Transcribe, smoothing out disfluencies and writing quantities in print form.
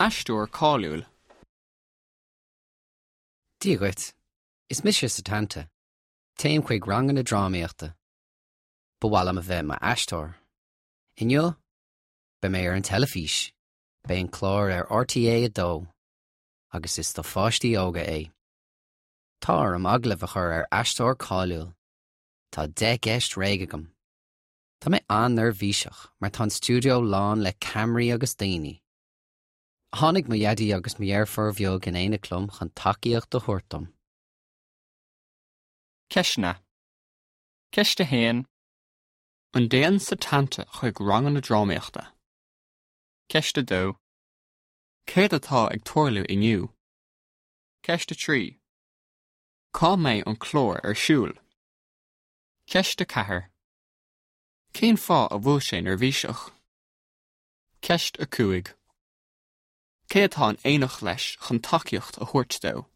Aisteoir cáiliúil. Dia dhuit. Is mise Setanta. Téim chuig ranganna drámaíochta. Ba mhaith liom a bheith i m'aisteoir. Inniu, beidh mé ar an teilifís. Beidh an clár ar RTÉ 2 agus is do pháistí óga é. Tá orm agallamh a chur ar aisteoir cáiliúil. Tá 10 gceist réidh agam. Tá mé an-neirbhíseach mar tá an stiúideo lán le ceamaraí agus daoine. Tháinig mo dhaidí agus mo dheirfiúr bheag in éineacht liom chun tacaíocht a thabhairt dom. Ceisteanna. Ceist 1. An dtéann Setanta chuig ranganna drámaíochta? Ceist 2. Céard atá ag tarlú inniu? Ceist 3. Cá mbeidh an clár ar siúl? Ceist 4. Cén fáth a bhfuil sé neirbhíseach? Ceist 5. Cé atá in éineacht leis chun tacaíocht a thabhairt dó?